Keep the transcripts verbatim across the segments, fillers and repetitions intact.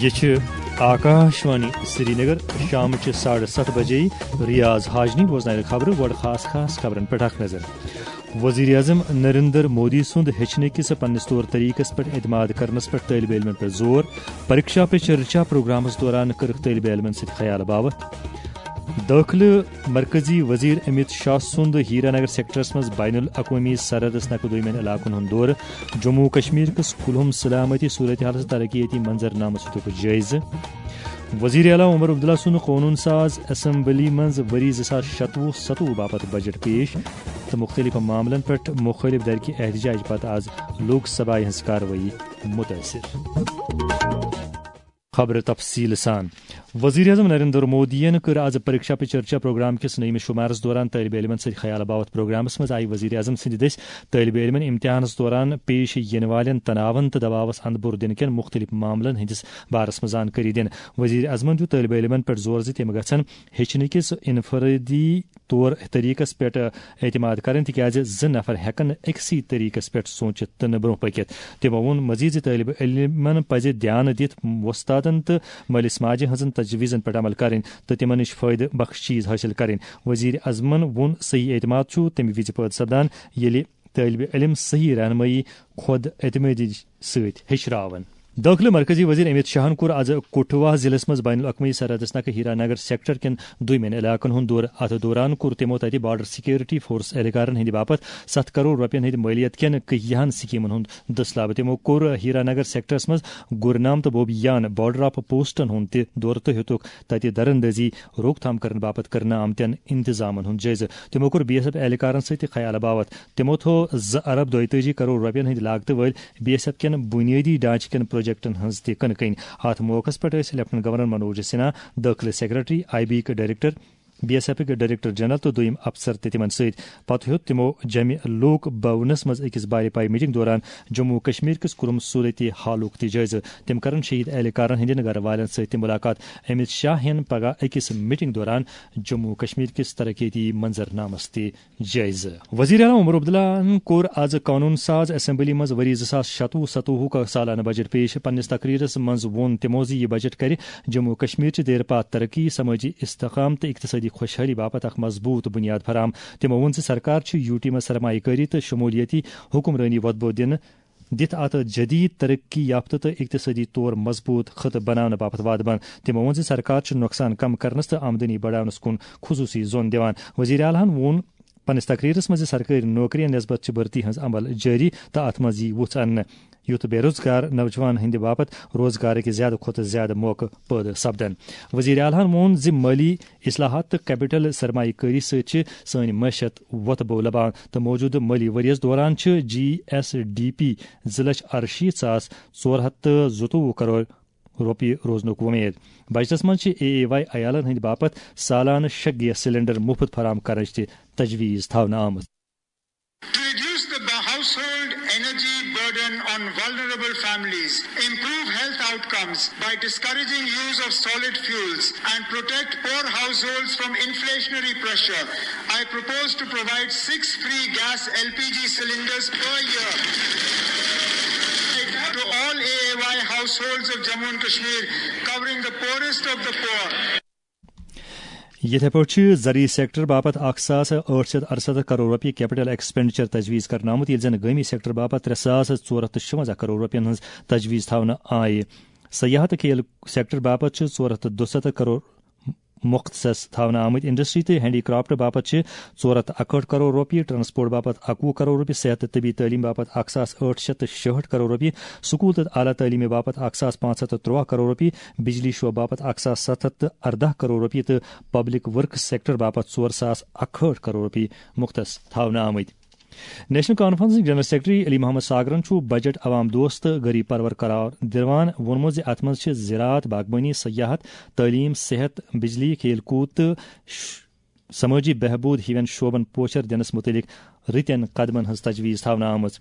یہ چھ آکاشوانی سرینگر۔ شام چہ ساڑھے ستھ بجے ریاض حاجنی بوزنائے خبرٕ۔ گۄڈٕ خاص خاص خبرن پٮ۪ٹھ اکھ نظر۔ وزیر اعظم نریندر مودی سُنٛد ہیٚچھنہٕ کِس پننِس طور طریقس پٮ۪ٹھ اعتماد کرنس پٮ۪ٹھ طٲلبہِ علمن پٮ۪ٹھ زور۔ پریکشا پے چرچا پروگرامس دوران کٔرٕکھ طٲلبہِ علمن سۭتۍ خیال باوتھ۔ دٲخلہٕ مرکزی وزیر امیت شاہ سُنٛد ہیرا نگر سیکٹرس منٛز بین الاقوٲمی سرحدس نکھٕ دوٚیمٮ۪ن علاقن ہُنٛد دورٕ۔ جموں و کشمیر کِس کُلہُم سلامتی صورتحالس ترقیتی منظر نامس ہیوٚتُکھ جٲیزٕ۔ وزیر اعلیٰ عمر عبداللہ سُنٛد قونوٗن ساز اسمبلی منٛز ؤری زٕ ساس شتوُہ ستوُہ باپتھ بجٹ پیش تہٕ مُختٔلِف معاملن پٮ۪ٹھ مُخٲلِف درکہِ احتجاج پتہٕ آز لوک سبھایہ ہٕنٛز کاروٲیی مُتٲثِر۔ خبرٕ تفصیٖل سان۔ وزیر اعظم نریندر مودیَن کٔر آز پریکشا پے چرچا پروگرام کِس نٔیمِس شُمارس دوران طٲلبہِ علمن سۭتۍ خیال باوتھ۔ پروگرامس منٛز آیہِ وزیر اعظم سٕنٛدِ دٔسۍ طٲلبہِ علمن امتحانس دوران پیش یِنہٕ والٮ۪ن تناون تہٕ دباوس اندٕ بوٚر دِنہٕ کٮ۪ن مُختٔلِف معاملن ہٕنٛدِس بارس منٛز زانکٲری دِنہٕ۔ وزیر اعظمن دیُت طٲلبہِ علمن پٮ۪ٹھ زور زِ تِم گژھن ہیٚچھنہٕ کِس انفرٲدی طور طریقس پٮ۪ٹھ اعتماد کرٕنۍ، تِکیازِ زٕ نفر ہٮ۪کن نہٕ أکسٕے طریقس پٮ۪ٹھ سوٗنچِتھ تہٕ نہٕ برٛونٛہہ پٔکِتھ۔ تِمو ووٚن مزید زِ طٲلبہِ علمن پزِ دیانہٕ دِتھ وۄستادن تہٕ مٲلِس ماجہِ ہٕنٛزن تجویزن پٮ۪ٹھ عمل کرٕنۍ تہٕ تِمن نِش فٲیدٕ بخش چیز حٲصِل کرٕنۍ۔ وزیر اعظمن ووٚن، صحیح اعتماد چھُ تَمہِ وِزِ پٲدٕ سپدان، ییٚلہِ طٲلبہِ علم صحیح رہنمٲیی خود اعتمٲدی سۭتۍ ہیٚچھراون۔ دٲخلہٕ مرکزی وزیر امیت شاہن کوٚر آز کٹھوا ضلعس منٛز بین الاقوٲمی سرحدس نکھٕ ہیرا نگر سیکٹر کٮ۪ن دویمٮ۪ن علاقن ہُنٛد دورٕ۔ اتھ دوران کوٚر تِمو تتہِ بارڈر سیکیورٹی فورس اہلکارن ہٕنٛدِ باپتھ ستھ کرور رۄپین ہٕنٛدِ مٲلیت کٮ۪ن کیٚہن سکیمن ہُنٛد دٔسلاب۔ تِمو کوٚر ہیرا نگر سیکٹرس منٛز گُرنام تہٕ بوبیان بارڈر آف پوسٹن ہُنٛد تہِ دورٕ تہٕ ہیوٚتُکھ تتہِ درندٲزی روک تھام کرنہٕ باپتھ کرنہٕ آمتٮ۪ن انتظامن ہُنٛد جٲیزٕ۔ تِمو کوٚر بی ایس ایف اہلکارن سۭتۍ تہِ خیال باوتھ۔ تِمو تھوٚو زٕ ارب دۄیتٲجی کرور رۄپین ہٕنٛدۍ لاگتہٕ وٲلۍ بی ایس ایف کٮ۪ن بُنیٲدی ڈھانچہٕ کٮ۪ن پروجیکٹن ہٕنٛز تہِ کٕنہٕ کٔنۍ۔ اتھ موقعس پٮ۪ٹھ ٲسۍ لیفٹیننٹ گورنر منوج سنہا، دٲخلہٕ سیکرٹری، آئی بی یِکۍ ڈائریکٹر، بی ایس ایف یِکۍ ڈائریکٹر جنرل تہٕ دوٚیِم افسر تہِ تِمن سۭتۍ۔ پتہٕ ہیوٚت تِمو جمہِ لوک بھونس منٛز أکِس بارِ پایہِ میٹنگ دوران جموں و کشمیر کِس کُلُم صورت حالُک تہِ جٲیزٕ۔ تِم کرن شہید اہلکارن ہٕنٛدٮ۪ن گرٕ والٮ۪ن سۭتۍ تہِ مُلاقات۔ امت شاہ ہٮ۪ن پگاہ أکِس میٹنگ دوران جموں و کشمیر کِس ترقیتی منظرنامس تہِ جٲیزٕ۔ وزیر اعلیٰ عمر عبداللہن کوٚر آز قانون ساز اسمبلی منٛز ؤری زٕ ساس شتوُہ ستوُہُک سالانہٕ بجٹ پیش۔ پننِس تقریرس منٛز ووٚن تِمو زِ یہِ بجٹ کرِ جموں و کشمیر چہِ دیرپا ترقی، سمٲجی استحکام تہٕ اقتصٲدی خۄشحٲلی باپتھ اکھ مضبوٗط بُنیاد فراہم۔ تِمو ووٚن زِ سرکار چھِ یوٗ ٹی منٛز سرمایہ کٲری تہٕ شمولیتی حکمرٲنی وۄتبو دِنہٕ دِتھ اتھ جدید ترقی یافتہٕ تہٕ اقتصٲدی طور مضبوٗط خطہٕ بناونہٕ باپتھ وعدٕ بنٛد۔ تِمو ووٚن زِ سرکار چھِ نۄقصان کم کرنس تہٕ آمدنی بڑاونس کُن خصوٗصی زون دِوان۔ وزیر اعلیٰ ہن ووٚن پننِس تقریرس منٛز زِ سرکٲرۍ نوکرین نسبت چھِ بھرتی ہٕنٛز عمل جٲری تہٕ اتھ منٛز یی وُژھ اننہٕ، یُتھ بے روزگار نوجوانن ہٕنٛدِ باپتھ روزگارٕکۍ زیادٕ کھۄتہٕ زیادٕ موقعہٕ پٲدٕ سپدن۔ وزیر اعلیٰ ہن ووٚن زِ مٲلی اصلاحات تہٕ کیپٹل سرمایہ کٲری سۭتۍ چھِ سٲنۍ معیشت وۄتھٕ بو لبان تہٕ موجودٕ مٲلی ؤریَس دوران چھِ جی ایس ڈی پی زٕ لچھ ارشیٖتھ ساس ژور ہتھ تہٕ زٕتووُہ کرور رۄپیہِ روزنُک وۄمید۔ بجٹس منٛز چھِ اے اے واے عیالَن ہٕنٛدِ باپتھ سالانہٕ شےٚ گیس سلنڈر مُفت فراہم کرنٕچ تہِ تجویز تھاونہٕ آمٕژ۔ To reduce the household energy burden on vulnerable families, improve health outcomes by discouraging use of solid fuels and protect poor households from inflationary pressure, I propose to provide six free gas L P G cylinders per year to all A A Y households of Jammu and Kashmir, covering the poorest of the poor. یِتھے پٲٹھۍ چھِ زرعی sector باپتھ اکھ ساس ٲٹھ شیٚتھ ارسَتتھ کرور رۄپیہِ کیپٹل ایکسپینڈیچر تجویز کرنہٕ آمُت، ییٚلہِ زَن گٲمی سیکٹر باپتھ ترٛےٚ ساس ژور ہَتھ تہٕ شُوَنزاہ کرور رۄپیَن ہٕنٛز تجویز تھاونہٕ آیہِ۔ سیاحت تہٕ کھیل سیکٹر باپتھ چھِ ژور ہَتھ تہٕ دُسَتتھ کرور مختص تھاونہٕ آمٕتۍ۔ انڈسٹری تہٕ ہینڈی کرافٹ باپتھ چھِ ژور ہَتھ تہٕ اَکہٲٹھ کرور رۄپیہِ، ٹرانسپورٹ باپتھ اَکوُہ کرور رۄپیہِ، صحت تہٕ طبی تعلیٖم باپتھ اکھ ساس ٲٹھ شیٚتھ تہٕ شُہٲٹھ کرور رۄپیہِ، سکوٗل تہٕ اعلیٰ تعلیٖم باپتھ اکھ ساس پانٛژھ ہَتھ تہٕ ترٛوَاہ کرور رۄپیہِ، بجلی شعبہٕ باپتھ اکھ ساس ستھ ہَتھ تہٕ اَرداہ کرور رۄپیہِ تہٕ پبلک ورکس سیکٹر باپتھ ژور ساس اَکہٲٹھ کرور رۄپیہِ مختص تھاونہٕ آمٕتۍ۔ نیشنل کانفرنسٕکۍ جنرل سیکرٹری علی محمد ساگرن چھُ بجٹ عوام دوست تہٕ غریب پرور قرار دِوان ووٚنمُت زِ اتھ منٛز چھِ زراعت، باغبٲنی، سیاحت، تعلیٖم، صحت، بجلی، کھیل کوٗد تہٕ ش-، سمٲجی بہبود ہِوٮ۪ن شعبن پوچھر دِنس مُتعلق رٕتٮ۪ن قدمن ہٕنٛز تجویز تھاونہٕ آمٕژ۔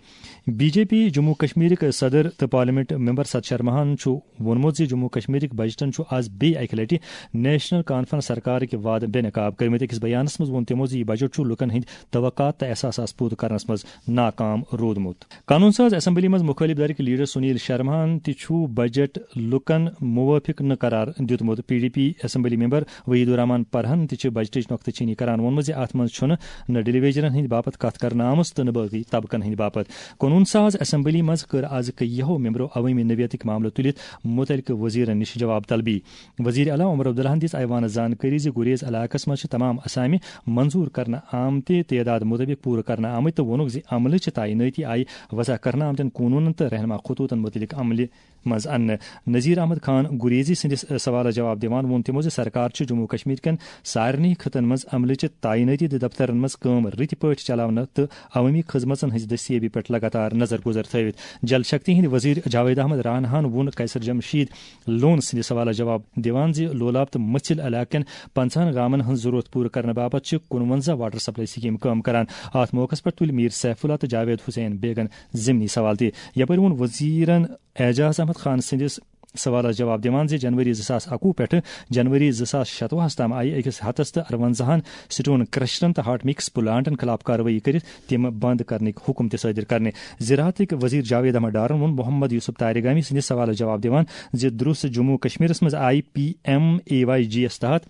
بی جے پی جموں کشمیرٕکۍ صدر تہٕ پارلیمنٹ ممبر ست شرماہن چھُ ووٚنمُت زِ جموں کشمیرٕکۍ بجٹن چھُ از بیٚیہِ اکہِ لٹہِ نیشنل کانفرنس سرکارٕکۍ وعدٕ بے نقاب کٔرمٕتۍ۔ أکِس بیانس منٛز ووٚن تِمو زِ یہِ بجٹ چھُ لوٗکن ہٕنٛدۍ توقعات تہٕ احساسات پوٗرٕ کرنس منٛز ناکام روٗدمُت۔ قانون ساز اسمبلی منٛز مُخٲلف دھڑٕکۍ لیڈر سنیل شرماہن تہِ چھُ بجٹ لوٗکن موٲفِق نہٕ قرار دیُتمُت۔ P D P assembly member Waheed ur Rehman پرہن تہِ چھِ بجٹٕچ نۄقطہٕ چینی کران ووٚنمُت زِ اتھ منٛز چھُنہٕ نہ ڈیلیویجرن ہٕنٛدِ باپتھ کتھ کرنہٕ آمٕژ تہٕ نہٕ باقی طبقن ہٕنٛدِ باپتھ۔ قونوٗن ساز اسمبلی منٛز کٔر از کیٚنٛہو ممبرو عوٲمی نوعیتٕکۍ معاملہٕ تُلِتھ مُتعلقہٕ وزیرن نِش جواب طلبی۔ وزیر اعلیٰ عمر عبداللہن دِژ ایوانس زانکٲری زِ گریز علاقس منٛز چھِ تمام اسامہِ منظور کرنہٕ آمتہِ تعداد مُطٲبِق پوٗرٕ کرنہٕ آمٕتۍ تہٕ ووٚنُکھ زِ عملہٕ چہِ تعینٲتی آیہِ وضع کرنہٕ آمتٮ۪ن قونوٗنن تہٕ رہنما خطوٗطن مُتعلق عملہِ منٛز اننہٕ۔ نذیر احمد خان گریزی سٕنٛدِس سوالس جواب دِوان ووٚن تِمو زِ سرکار چھِ جموں کشمیر کٮ۪ن سارنٕے خطن منٛز عملہٕ چہِ تعینٲتی تہٕ دفترن منٛز کٲم رٕتہِ پٲٹھۍ چلاونہٕ تہٕ عوٲمی خدمژن ہٕنٛزِ دستیٲبی پٮ۪ٹھ لگاتار نظر گُزر تھٲوِتھ۔ جل شکتی ہٕنٛدۍ وزیر جاوید احمد رانا ہن ووٚن قیصر جمشید لون سٕنٛدِ سوالس جواب دِوان زِ لولاب تہٕ مٔژھِل علاقہٕ کٮ۪ن پنٛژاہن گامن ہٕنٛز ضروٗرت پوٗرٕ کرنہٕ باپتھ چھِ کُنوَنزاہ واٹر سپلائی سکیٖم کٲم کران۔ اتھ موقعس پٮ۪ٹھ تُلۍ میر سیف اللہ تہٕ جاوید حسین بیگن ضمنی سوال تہِ۔ یپٲرۍ ووٚن وزیرن اعجاز احمد خان سٕنٛدِس سوالس جواب دِوان زِ جنوری زٕ ساس اَکوُہ پٮ۪ٹھٕ جنوری زٕ ساس شتوُہس تام آیہِ أکِس ہتس تہٕ ارونزاہن سٹون کرشرن تہٕ ہاٹ مکس پلانٹن خلاف کاروٲیی کٔرِتھ تِم بند کرنٕکۍ حکم تہِ صٲدر کرنہٕ۔ زراعتٕکۍ وزیر جاوید احمد ڈارن ووٚن محمد یوسف تارگامی سٕنٛدِس سوالس جواب دِوان زِ درست جموں کشمیرس منٛز آیہِ پی ایم اے واے جی یس تحت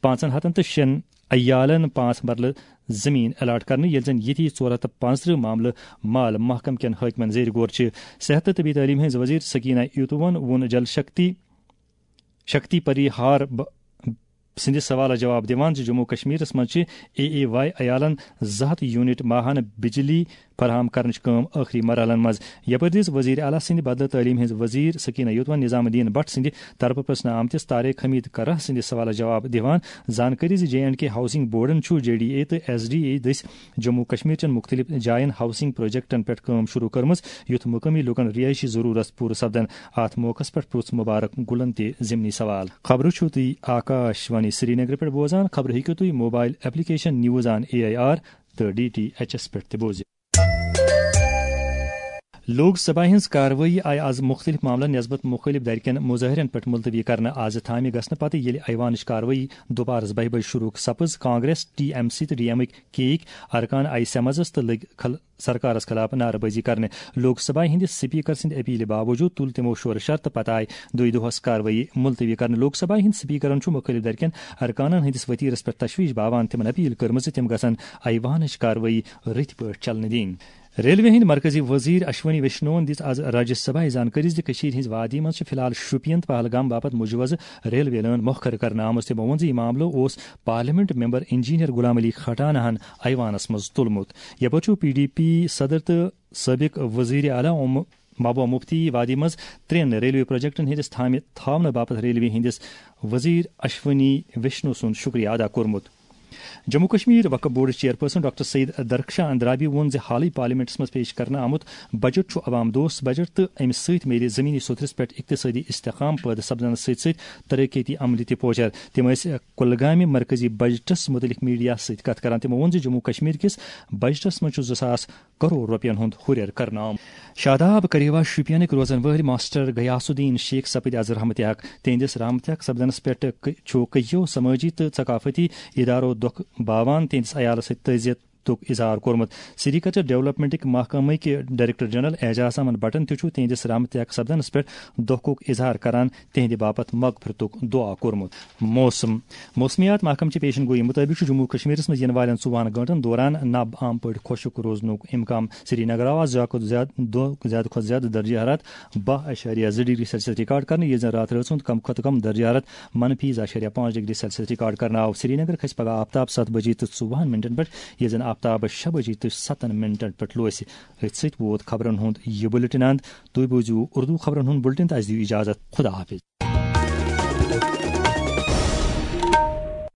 پانٛژن ہتن تہٕ شٮ۪ن عیالن پانٛژھ مرلہٕ زٔمیٖن الاٹ کرنہٕ، ییٚلہِ زن ییٚتی ژور ہتھ تہٕ پانٛژترٕہ معاملہٕ مال محکمہٕ کٮ۪ن حٲکمن زیر غور چھِ۔ صحت تہٕ طبی تعلیٖم ہٕنٛز وزیر سکینہ یوتوون ووٚن جل شکتی، شکتی پریہار ب-، سٕنٛدِس سوالس جواب دِوان زِ جموں کشمیرس منٛز چھِ اے اے واے عیالن زٕ ہتھ یونٹ ماہانہٕ بجلی فراہم کرنٕچ کٲم ٲخری مرحلن منٛز۔ یپٲرۍ دِژ وزیر اعلیٰ سٕنٛدِ بدلہٕ تعلیٖم ہٕنٛز وزیر سکینہ یوتوون نظام الدین بٹ سٕنٛدِ طرفہٕ پرژھنہٕ آمتِس طارق حمید کرہ سٕنٛدِس سوالس جواب دِوان زانکٲری زِ J and K housing Borden چھُ جے ڈی اے تہٕ ایس ڈی اے دٔسۍ جموں کشمیر چٮ۪ن مُختٔلِف جاین ہاؤسنگ پروجیکٹن پٮ۪ٹھ کٲم شروع کٔرمٕژ، یُتھ مُقٲمی لوٗکن رہٲیشی ضروٗرت پوٗرٕ سپدن۔ اتھ موقعس پٮ۪ٹھ پرُژھ مبارک گُلن تہِ ضمنی سوال۔ خبرٕ چھِو تُہۍ آکاش وانی سرینگرٕ پٮ۪ٹھ بوزان۔ خبرٕ ہیٚکِو تُہۍ mobile application news on A I R تہٕ ڈی ٹی ایچ ایس پٮ۪ٹھ تہِ بوٗزِتھ۔ لوک سبھا ہٕنٛز کاروٲیی آیہِ از مُختٔلِف معاملن نسبت مُخٲلِف دھرِکٮ۪ن مظٲہرن پٮ۪ٹھ ملتوی کرنہٕ۔ از تھامہِ گژھنہٕ پتہٕ ییٚلہِ ایوانٕچ کاروٲیی دُپہرس بہہِ بجہِ شروع سپٕز، کانگریس، ٹی ایم سی تہٕ ڈی ایم ٕکۍ کیک ارکان آیہِ سمنس تہٕ لٔگۍ کھل-، سرکارس خلاف نعرٕ بٲزی کرنہٕ۔ لوک سبھا ہٕنٛدِ سپیکر سٕنٛدِ اپیلہِ باوجود تُل تِمو شورٕ شر تہٕ پتہٕ آیہِ دۄیہِ دۄہس کاروٲیی ملتوی کرنہٕ۔ لوک سبھا ہٕنٛدۍ سپیکرن چھُ مُخٲلِف دھرِکٮ۪ن ارکانن ہٕنٛدِس ؤتیرس پٮ۪ٹھ تشویش باوان تِمن اپیل کٔرمٕژ زِ تِم گژھن ایوانٕچ کاروٲیی رٕتۍ پٲٹھۍ چلنہٕ دِنۍ۔ ریلوے ہٕنٛدۍ مرکزی وزیر اشونی ویشنون دِژ از راجیہ سبھایہ زانکٲری زِ کٔشیٖرِ ہٕنٛزِ وادی منٛز چھِ فی الحال شوپین پہلگام باپتھ مجوزٕ ریلوے لٲن مۄخر کرنہٕ آمٕژ۔ تِمو ووٚن زِ یہِ معاملہٕ اوس parliament member engineer Ghulam Ali کھٹانہن ایوانس منٛز تُلمُت۔ یپٲرۍ چھُ پی ڈی پی صدر تہٕ سٲبق وزیر اعلیٰ محبوبہ مفتی وادی منٛز ترٛٮ۪ن ریلوے پروجیکٹن ہٕنٛدِس تھامہِ تھاونہٕ باپتھ ریلوے ہٕنٛدِس وزیر اشونی ویشنو سُنٛد شُکریہ ادا کوٚرمُت۔ جموں کشمیر وقف بورڈ چیئرپرسن ڈاکٹر سید درخشاں اندرابی ووٚن زِ حالٕے پارلیمنٹس منٛز پیش کرنہٕ آمُت بجٹ چھُ عوام دوست بجٹ تہٕ امہِ سۭتۍ میلہِ زمینی سطحس پٮ۪ٹھ اقتصٲدی استحکام پٲدٕ سپدنس سۭتۍ سۭتۍ ترقیتی عملہِ تہِ پوچھر۔ تِم ٲسۍ کُلگامہِ مرکزی بجٹس مُتعلق میڈیا سۭتۍ کتھ کران۔ تِمو ووٚن زِ جموں کشمیر کِس بجٹس منٛز چھُ زٕ ساس کرور رۄپین ہُنٛد ہُرٮ۪ر کرنہٕ آمُت۔ شاداب کریوا شوپینٕکۍ روزن وٲلۍ ماسٹر غیاث الدین شیخ سپٕدۍ از رحمتِ حق۔ تِہنٛدِس رحمتِ حق سپدنس پٮ۪ٹھ ک-، چھُ کٔہیو سمٲجی تہٕ ثقافتی ادارو دۄکھ باوان تِہنٛدِس عیالس سۭتۍ تعزیت تُک اظہار کوٚرمُت۔ سری کلچر ڈیولپمنٹٕکۍ محکمٕکۍ ڈائریکٹر جنرل اعجاز احمد بٹن تہِ چھُ تِہنٛدِس رحمتِ حق سپدنس پٮ۪ٹھ دۄکھُک اظہار کران تِہنٛدِ باپتھ مغفرتُک دعا کوٚرمُت۔ موسم۔ موسمیات محکمہٕ چہِ پیشن گویی مُطٲبِق چھُ جموں کشمیرس منٛز یِنہٕ والٮ۪ن ژوٚوُہن گٲنٛٹن دوران نب عام پٲٹھۍ خۄشک روزنُک امکان۔ سرینگر آو آز زیادٕ کھۄتہٕ زیادٕ دۄہ، زیادٕ کھۄتہٕ زیادٕ درجہ حرارت باہ اعشاریہ زٕ ڈگری سیلسیس ریکارڈ کرنہٕ، ییٚلہِ زن راتھ رٲژ ہُنٛد کم کھۄتہٕ کم درجہ حرارت منفی زٕ اعشاریہ پانٛژھ ڈگری سیلسیس ریکارڈ کرنہٕ آو۔ سرینگر کھسہِ پگہہ آفتاب ستھ بجے تہٕ ژوٚوُہن منٹن پٮ۪ٹھ، ییٚلہِ زن آفتاب شےٚ بجے تہٕ ستن منٹن پٮ۪ٹھ لوسہِ۔ أتھۍ سۭتۍ ووت خبرن ہُنٛد یہِ بُلٹن اند۔ تُہۍ بوٗزِو اردو خبرن ہُنٛد بُلٹن تہٕ اَسہِ دِیِو اجازت۔ خدا حافظ۔